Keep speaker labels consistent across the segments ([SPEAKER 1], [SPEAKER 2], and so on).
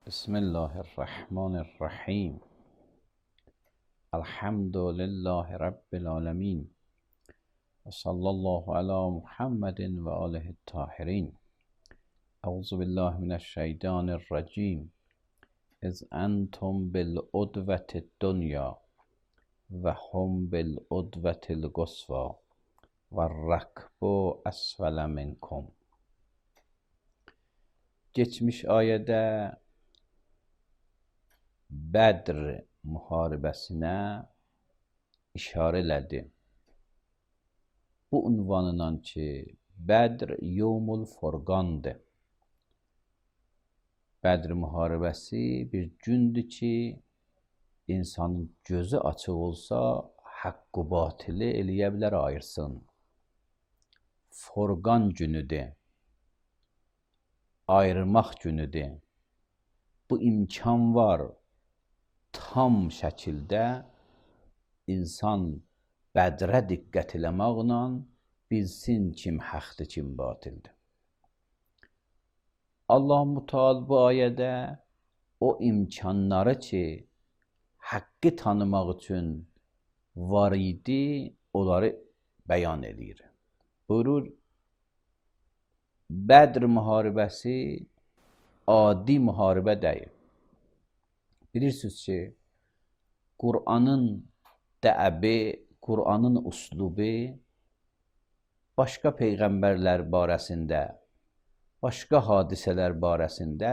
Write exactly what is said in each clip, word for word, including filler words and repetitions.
[SPEAKER 1] بسم الله الرحمن الرحیم. الحمد لله رب العالمین و صلی الله علی محمد و آله الطاهرین. اعوذ بالله من الشیطان الرجیم. اذ انتم بالعدوة الدنیا و هم بالعدوة القصوى و الرکب اسفل منکم. Geçmiş ayədə Bədr müharibəsinə işarə elədi. Bu ünvanla ki, Bədr Yevmul Furqandır. Bədr müharibəsi bir gündür ki, insanın gözü açıq olsa, haqqı batılı eləyə bilər, ayırsın. Furqan günüdür. Ayırmaq günüdür. Bu imkan var. Tam şəkildə insan Bədrə diqqət eləməklə bilsin kim haqdır, kim batildir. Allah-u Teala bu ayədə o imkanları ki, haqqı tanımaq üçün var idi, onları bəyan edir. Buyurur, Bədr müharibəsi adi müharibə deyil. Bilirsiniz ki, Qur'anın dəəbi, Qur'anın uslubu başqa peyğəmbərlər barəsində, başqa hadisələr barəsində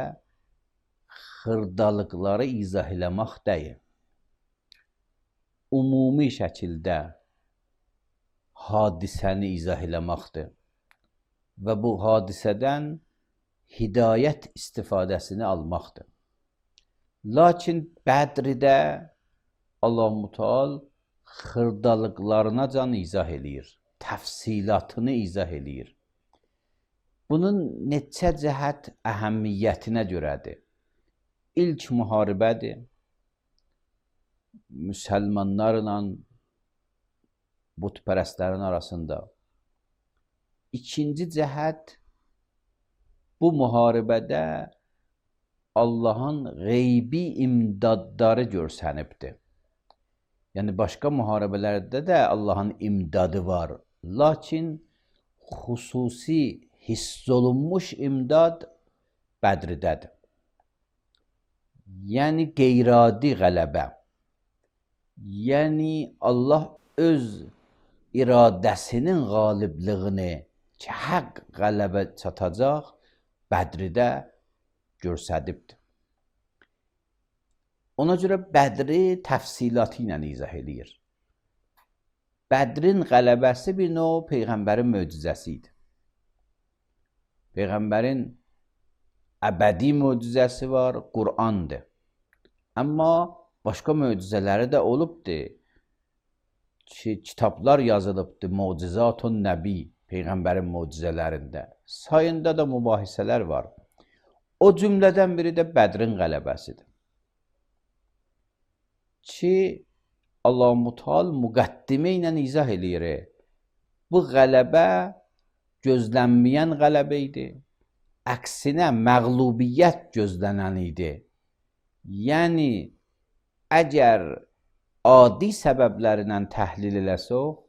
[SPEAKER 1] xırdalıqları izah eləmək deyil. Ümumi şəkildə hadisəni izah eləməkdir və bu hadisədən hidayət istifadəsini almaqdır. Lakin Bədrdə Allah-u Teala xırdalıqlarına can izah eləyir, təfsilatını izah eləyir. Bunun neçə cəhət əhəmiyyətinə görədir. İlk müharibədir. Müsəlmanlarla bütpərəstlərin arasında. İkinci cəhət, bu müharibədə Allahın qeybi imdadları görsənibdir. Yəni, başqa müharibələrdə də Allahın imdadı var. Lakin xüsusi hiss olunmuş imdad Bədrdədir. Yəni, qeyri-adi qələbə. Yəni, Allah öz iradəsinin qalibliyini ki, haqq qələbə çatacaq, Bədrdə görsədibdir. Ona görə Bədri təfsilatı ilə izah edir. Bədrin qələbəsi bir növ Peyğəmbərin möcüzəsi idi. Peyğəmbərin əbədi möcüzəsi var, Qur'andır. Amma başqa möcüzələri də olubdur ki, kitablar yazılıbdır, Mucizatun Nəbi, Peyğəmbərin möcüzələrində. Sayında da mübahisələr var. O cümlədən biri də Bədrin qələbəsidir. Ki, Allah-u Teala müqəddimə ilə izah eləyir. Bu qələbə gözlənməyən qələbə idi. Əksinə məğlubiyyət gözlənən idi. Yəni, əgər adi səbəblərindən təhlil eləsək,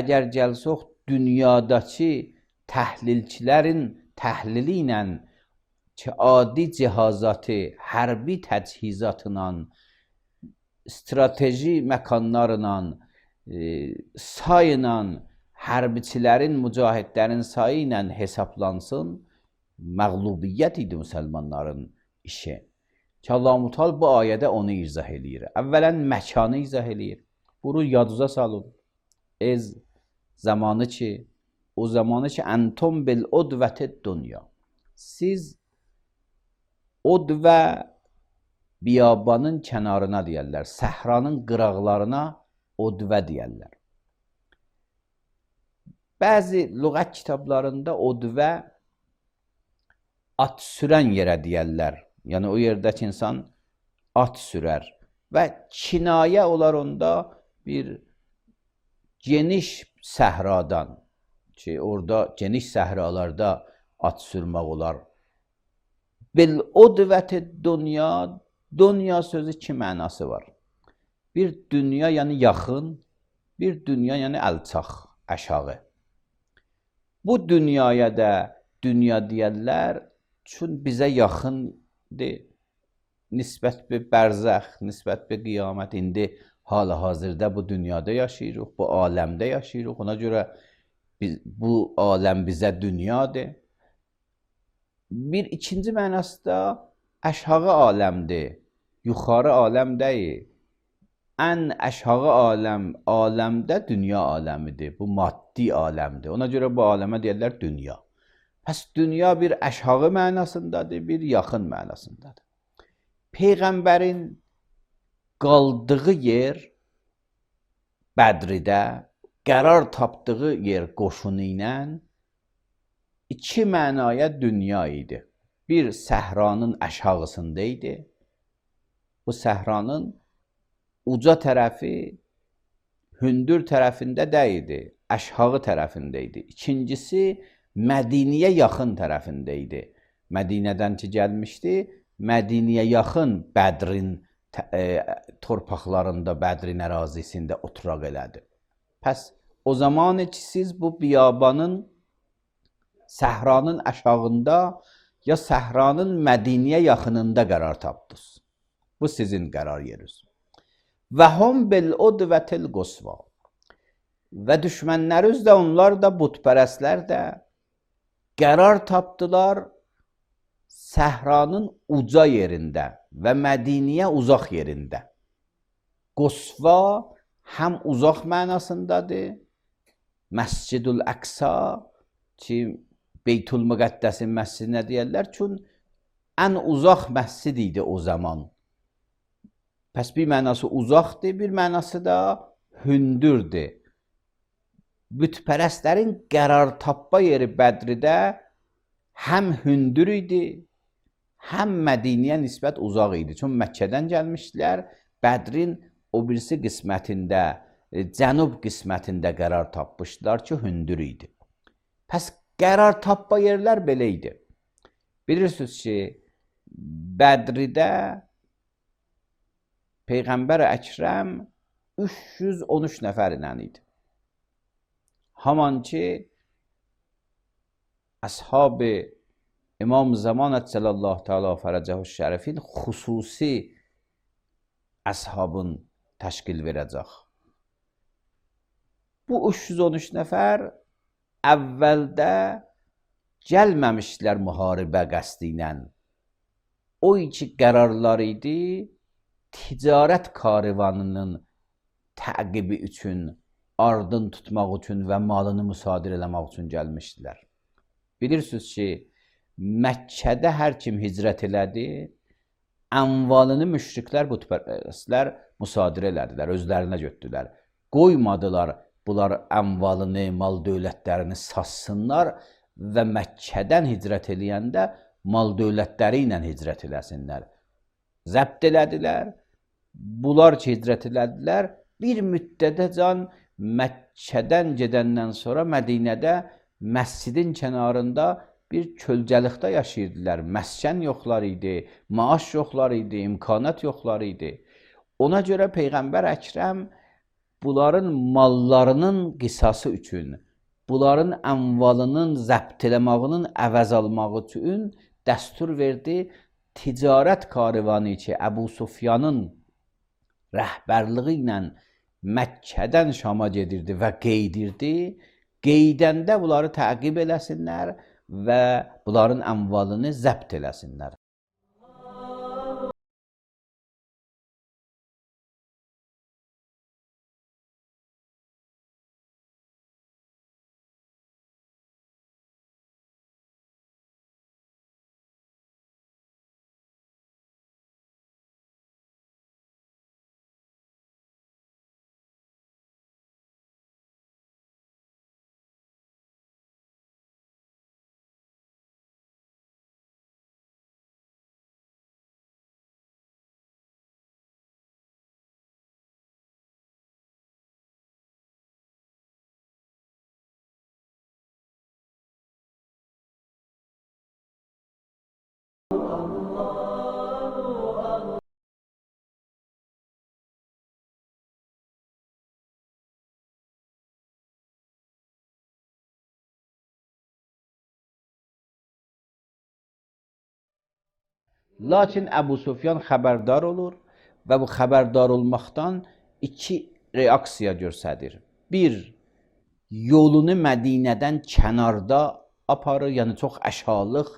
[SPEAKER 1] əgər gəlsək dünyadakı təhlilçilərin təhlili ilə ki, adi cihazatı, hərbi təchizatla, strateji məkanlarla, e, sayla, hərbiçilərin, mücahidlərin sayı ilə hesaplansın, məğlubiyyət idi müsəlmanların işi. Ki, Allah-u Teala bu ayədə onu izah eləyir. Əvvələn məkanı izah eləyir. Bunu yadınıza salın. Ez zamanı ki, o zamanı ki, entum bil udvətid dünya. Siz Udvə biyabanın kənarına deyərlər, səhranın qıraqlarına udvə deyərlər. Bəzi lüğət kitablarında udvə at sürən yerə deyərlər. Yəni, o yerdəki insan at sürər və kinayə olar onda bir geniş səhradan ki, orada geniş səhralarda at sürmək olar. Bil udveti dünya, dünya sözü iki mənası var. Bir dünya yəni yaxın, bir dünya yəni əlçaq, aşağı. Bu dünyaya da dünya deyərlər, çün bizə yaxındır. Nisbət bir bərzəx, nisbət bir qiyamət. İndi hal-hazırda bu dünyada yaşayırıq, bu aləmdə yaşayırıq. Ona görə biz, bu aləm bizə dünyadır. Bir ikinci mənası da aşağı aləmdir, yuxarı aləm deyil. Ən aşağı aləm, aləmdə dünya aləmidir. Bu maddi aləmdir. Ona görə bu aləmə deyirlər dünya. Pəs dünya bir aşağı mənasındadır, bir yaxın mənasındadır. Peyğəmbərin qaldığı yer Bədridə, qərar tapdığı yer qoşunu ilə iki mənaya dünya idi. Bir səhranın aşağısında idi. Bu səhranın uca tərəfi hündür tərəfində deyildi, aşağı tərəfində idi. İkincisi Mədiniyə yaxın tərəfində idi. Mədinədən ki gəlmişdi, Mədiniyə yaxın Bədrin e, torpaqlarında, Bədrin ərazisində oturaq elədi. Pəs o zaman ki siz bu biyabanın səhranın aşağında ya səhranın Mədiniyə yaxınında qərar tapdınız. Bu sizin qərar yeriniz. Və hum bil udvətil qusva. Və düşmənləriniz də, onlar da, butpərəstlər də qərar tapdılar səhranın uca yerində və Mədiniyə uzaq yerində. Qusva həm uzaq mənasındadır. Məscidül Əqsa ki, Beytül Müqəddəsin məscidinə deyərlər, çün ən uzaq məscid idi o zaman. Pəs bir mənası uzaqdır, bir mənası da hündürdür. Bütpərəstlərin qərar tapma yeri Bədridə həm hündür idi, həm Mədiniyə nisbət uzaq idi. Çün Məkkədən gəlmişdilər, Bədrin o birisi qismətində, cənub qismətində qərar tapmışdılar ki, hündür idi. Pəs qərar tapma yerlər belə idi. Bilirsiniz ki, Bədridə Peyğəmbər Əkrəm üç yüz on üç nəfər ilə idi. Haman ki, Əshab-ı İmam Zaman Əcəlallahu Teala Fərəcəhu Şərifin xüsusi əshabın təşkil verəcək. Bu üç yüz on üç nəfər əvvəldə gəlməmişdilər müharibə qəsdi ilə. O iki qərarlar idi, ticarət karivanının təqibi üçün, ardın tutmaq üçün və malını müsadir eləmək üçün gəlmişdilər. Bilirsiniz ki, Məkkədə hər kim hicrət elədi, əmvalını müşriklər, bütpərəstlər müsadir elədilər, özlərinə götürdülər. Qoymadılar bunlar əmvalını, mal dövlətlərini satsınlar və Məkkədən hicrət eləyəndə mal dövlətləri ilə hicrət eləsinlər. Zəbt elədilər. Bunlar ki, hicrət elədilər, bir müddətə can Məkkədən gedəndən sonra Mədinədə məscidin kənarında bir kölgəlikdə yaşayırdılar. Məskən yoxlar idi, maaş yoxlar idi, imkanat yoxlar idi. Ona görə Peyğəmbər Əkrəm bunların mallarının qisası üçün, bunların əmvalının zəbt eləmağının əvəz almağı üçün dəstur verdi. Ticarət karivanı ki, Əbu Sufyanın rəhbərliyi ilə Məkkədən Şama gedirdi və qeydirdi. Qeydəndə bunları təqib eləsinlər və bunların əmvalını zəbt eləsinlər. Lakin Əbu Sufyan xəbərdar olur və bu xəbərdar olmaqdan iki reaksiya göstərir. Bir, yolunu Mədinədən kənarda aparır, yəni çox aşağılıq,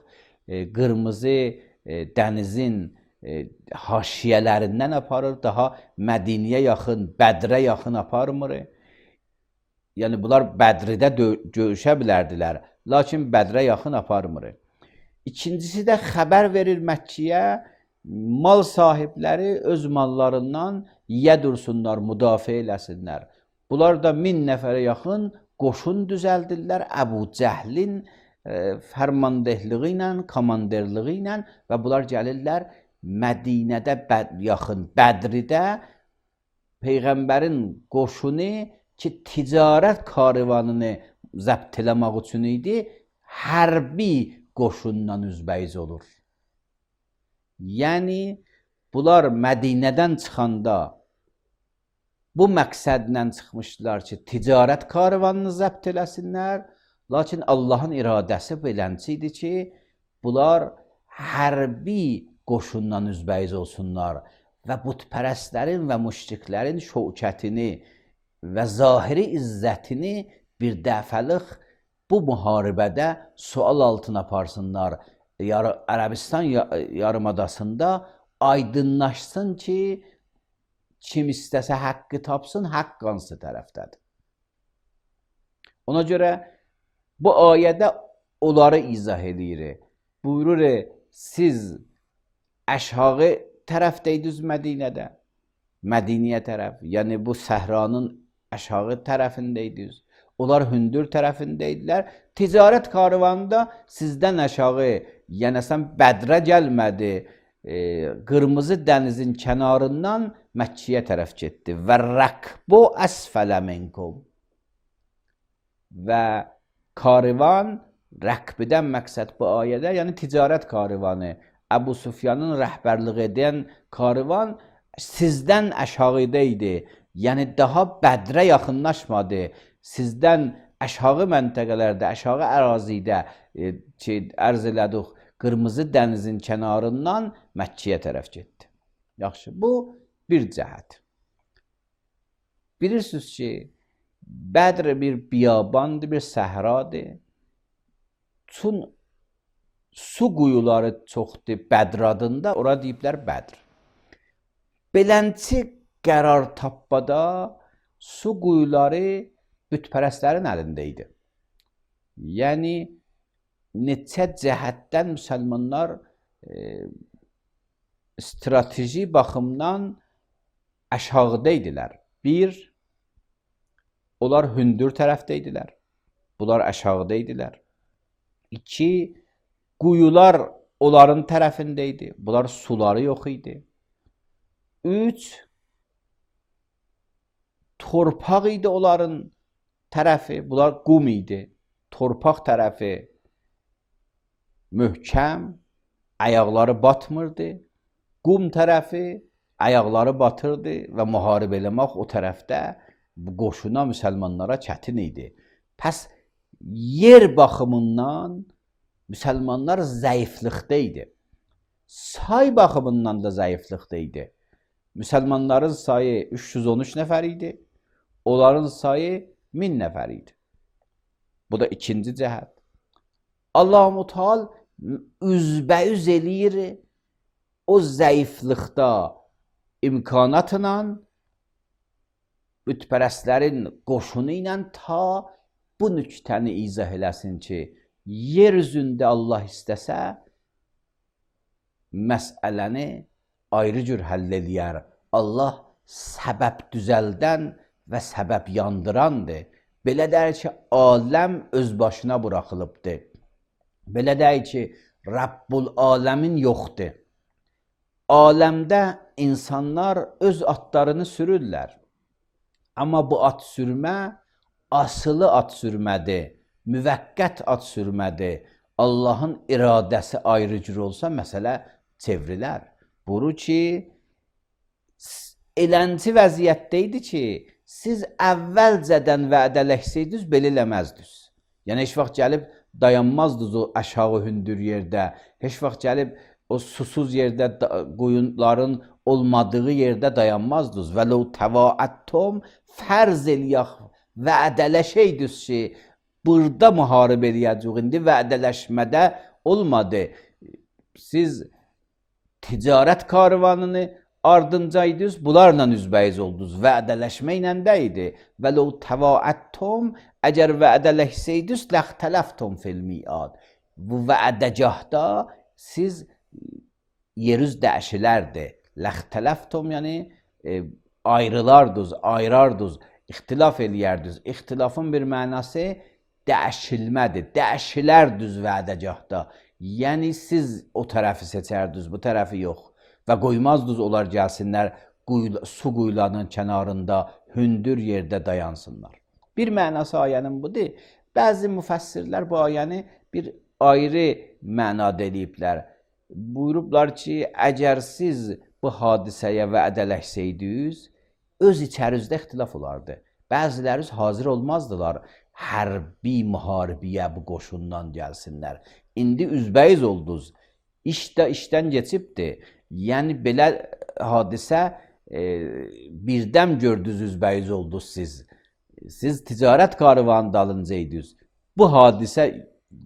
[SPEAKER 1] e, qırmızı e, dənizin e, haşiyələrindən aparır, daha Mədinəyə yaxın, Bədrə yaxın aparmır. Yəni bunlar Bədridə görüşə bilərdilər, lakin Bədrə yaxın aparmır. İkincisi də xəbər verir Məkkiyə, mal sahibləri öz mallarından yiyə dursunlar, müdafiə eləsinlər. Bunlar da min nəfərə yaxın qoşun düzəldirlər Əbu Cəhlin e, fərmandehliği ilə, komanderliği ilə və bunlar gəlirlər Mədinədə bəd yaxın Bədridə Peyğəmbərin qoşunu ki, ticarət karvanını zəbt eləmək üçün idi, hərbi qoşundan üzbəyiz olur. Yəni, bunlar Mədinədən çıxanda bu məqsədlə çıxmışdılar ki, ticarət karvanını zəbt eləsinlər, lakin Allahın iradəsi belənçi idi ki, bunlar hərbi qoşundan üzbəyiz olsunlar və butpərəstlərin və müşriklərin şövkətini və zahiri izzətini bir dəfəlik bu müharibədə sual altına aparsınlar. Yar Ərəbistan yarımadasında aydınlaşsın ki, kim istəsə haqqı tapsın, haqq hansı tərəfdədir. Ona görə bu ayədə onları izah edir. Buyurur, siz aşağı tərəfdəydiniz Mədinədə, Mədiniyə tərəf, yəni bu səhranın aşağı tərəfindəydiniz. Onlar hündür tərəfindəydilər. Ticarət karvanında sizdən aşağı, yəni sən Bədrə gəlmədi, e, qırmızı dənizin kənarından Məkkiyə tərəf getdi. Və rəkbu əsfələ minkum. Və karvan, rəkbidən məqsəd bu ayədə, yəni ticarət karvanı, Əbu Sufyanın rəhbərliq edən karvan sizdən aşağıdaydı. Yəni daha Bədrə yaxınlaşmadı. Sizdən aşağı məntəqələrdə, aşağı ərazidə e, ki, ərz elədik, qırmızı dənizin kənarından Məkkiyə tərəf getdi. Yaxşı, bu bir cəhət. Bilirsiniz ki, Bədr bir biyabandır, bir səhradır. Çün su quyuları çoxdur Bədr adında, ora deyiblər Bədr. Belənçi qərar tapbada su quyuları bütpərəstlərin əlində idi. Yəni, neçə cəhətdən müsəlmanlar e, strateji baxımdan aşağıda idilər. Bir, onlar hündür tərəfdə idilər. Bunlar aşağıda idilər. İki, quyular onların tərəfində idi. Bunlar suları yox idi. Üç, torpaq idi onların tərəfi, bunlar qum idi. Torpaq tərəfi möhkəm, ayaqları batmırdı. Qum tərəfi ayaqları batırdı və müharibə eləmək o tərəfdə qoşuna müsəlmanlara çətin idi. Pəs yer baxımından müsəlmanlar zəiflikdə idi. Say baxımından da zəiflikdə idi. Müsəlmanların sayı üç yüz on üç nəfər idi. Onların sayı min nəfər idi. Bu da ikinci cəhət. Allah-u Teala üzbəyüz eləyir o zəiflikdə imkanatla bütpərəstlərin qoşunu ilə ta bu nüktəni izah eləsin ki, yer üzündə Allah istəsə məsələni ayrı cür həll eləyər. Allah səbəb düzəldən və səbəb yandırandır. Belə deyir ki, aləm öz başına buraxılıbdır. Belə deyir ki, Rabbul aləmin yoxdur. Aləmdə insanlar öz atlarını sürürlər. Amma bu at sürmə asılı at sürmədir, müvəqqət at sürmədir. Allahın iradəsi ayrı cür olsa məsələ çevrilər. Buru ki, elənci vəziyyətdə idi ki, siz əvvəlcədən vədələşsəydiniz, belə eləməzdiniz. Yəni, heç vaxt gəlib dayanmazdınız o aşağı hündür yerdə. Heç vaxt gəlib o susuz yerdə qoyunların olmadığı yerdə dayanmazdınız. Və ləv təvaəttum fərz eləyək vədələşəydiniz ki, burada müharibə eləyəcək. İndi vədələşmədə olmadı. Siz ticarət karvanını ardıncaydınız, bunlarla üzbəyiz oldunuz. Vədələşməklə də idi. Və ləv təvaəttum, əgər vədələşsəydiniz, ləxtələftum fil miad. Bu vədəcahda siz yerüz dəyişilərdi. Ləxtələftum, yəni e, ayrılardınız, ayrardınız, ixtilaf eləyərdiniz. İxtilafın bir mənası dəyişilmədir. Dəyişilərdiniz vədəcahda. Yəni siz o tərəfi seçərdiniz, bu tərəfi yox. Və qoymazdınız onlar gəlsinlər, quyula, su quyularının kənarında, hündür yerdə dayansınlar. Bir mənası ayənin budur. Bəzi müfəssirlər bu ayəni bir ayrı mənada eləyiblər. Buyurublar ki, əgər siz bu hadisəyə vədələşsəydiniz, öz içərinizdə ixtilaf olardı. Bəziləriniz hazır olmazdılar hərbi müharibəyə bu qoşundan gəlsinlər. İndi üzbəyiz oldunuz. İş də işdən keçibdir. Yəni belə hadisə e, birdən gördünüz, üzbəyiz oldunuz siz. Siz ticarət karvanı dalınca idiniz. Bu hadisə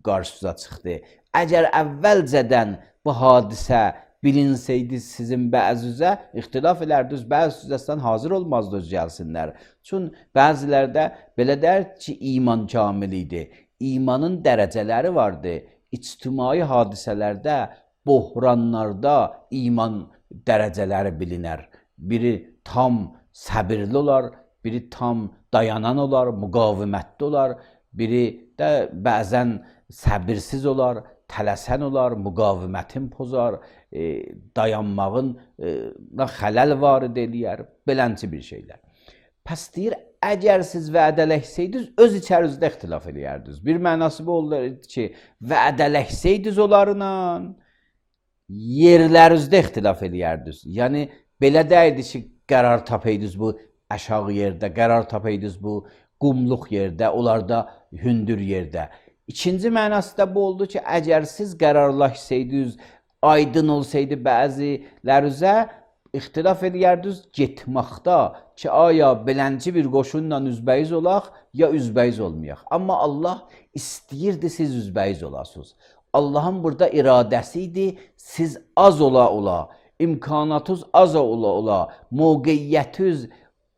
[SPEAKER 1] qarşınıza çıxdı. Əgər əvvəlcədən bu hadisə bilinsəydi sizin bəzüzə, ixtilaf edərdiniz, bəzüzədən hazır olmazdınız gəlsinlər. Çünki bəzilərdə belə dər ki, iman kamil idi. İmanın dərəcələri vardı. İctimai hadisələrdə, bohranlarda iman dərəcələri bilinər. Biri tam səbirli olar, biri tam dayanan olar, müqavimətli olar, biri də bəzən səbirsiz olar, tələsən olar, müqavimətin pozar, e, dayanmağın e, xələl varid eləyər, belənci bir şeylər. Pəs deyir, əgər siz vədələşsəydiniz, öz içərinizdə ixtilaf eləyərdiniz. Bir mənası bu olur ki, vədələşsəydiniz onlarla, yerlərinizdə ixtilaf eləyərdiniz. Yəni, belə deyildi ki, qərar tapaydınız bu aşağı yerdə, qərar tapaydınız bu qumluq yerdə, onlarda hündür yerdə. İkinci mənası da bu oldu ki, əgər siz qərarlaşsaydınız, aydın olsaydı bəzilərinizə, ixtilaf eləyərdiniz getməkdə ki, aya belənci bir qoşunla üzbəyiz olaq, ya üzbəyiz olmayaq. Amma Allah istəyirdi siz üzbəyiz olasınız. Allahın burada iradəsi idi, siz az ola ola, imkanatınız az ola ola, mövqeyyətiniz,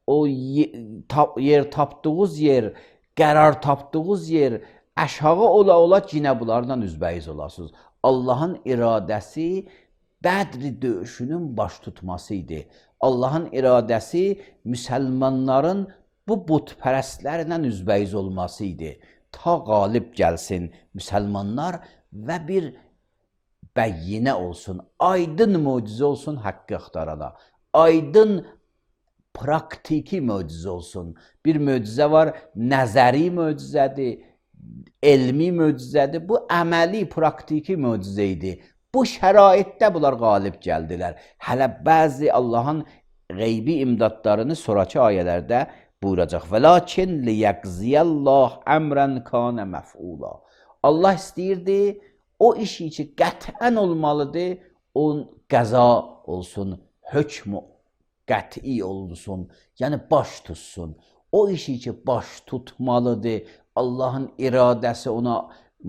[SPEAKER 1] o yer tapdığınız yer, qərar tapdığınız yer, aşağı ola ola yine bunlardan üzbəyiz olasınız. Allahın iradəsi Bədr döyüşünün baş tutması idi. Allahın iradəsi müsəlmanların bu butpərəstlərlə üzbəyiz olması idi. Ta qalib gəlsin müsəlmanlar və bir bəyyinə olsun, aydın möcüzə olsun haqqı axtarana. Aydın praktiki möcüzə olsun. Bir möcüzə var, nəzəri möcüzədir, elmi möcüzədir. Bu əməli, praktiki möcüzə idi. Bu şəraitdə bunlar qalib gəldilər. Hələ bəzi Allahın qeybi imdadlarını sonraki ayələrdə buyuracaq. وَلَكِنْ لِيَقْزِيَ اللّٰهِ əmrən كَانَ مَفْعُولًا. Allah istəyirdi, o işi ki qətən olmalıdır, o qəza olsun, hökm qəti olsun, yəni baş tutsun. O işi ki baş tutmalıdır, Allahın iradəsi ona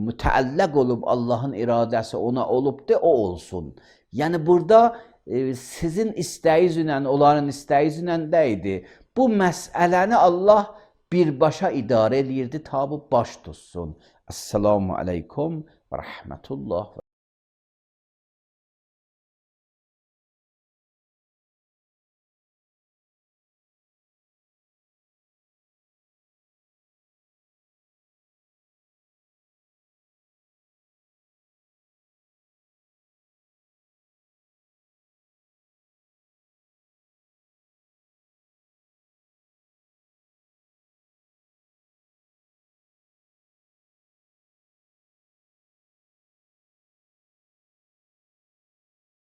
[SPEAKER 1] mütəəlləq olub, Allahın iradəsi ona olubdur, o olsun. Yəni burada e, sizin istəyinizlə, onların istəyinizlə də idi. Bu məsələni Allah birbaşa idarə eləyirdi, ta bu baş tutsun. Esselamu aleykum və rəhmətullah.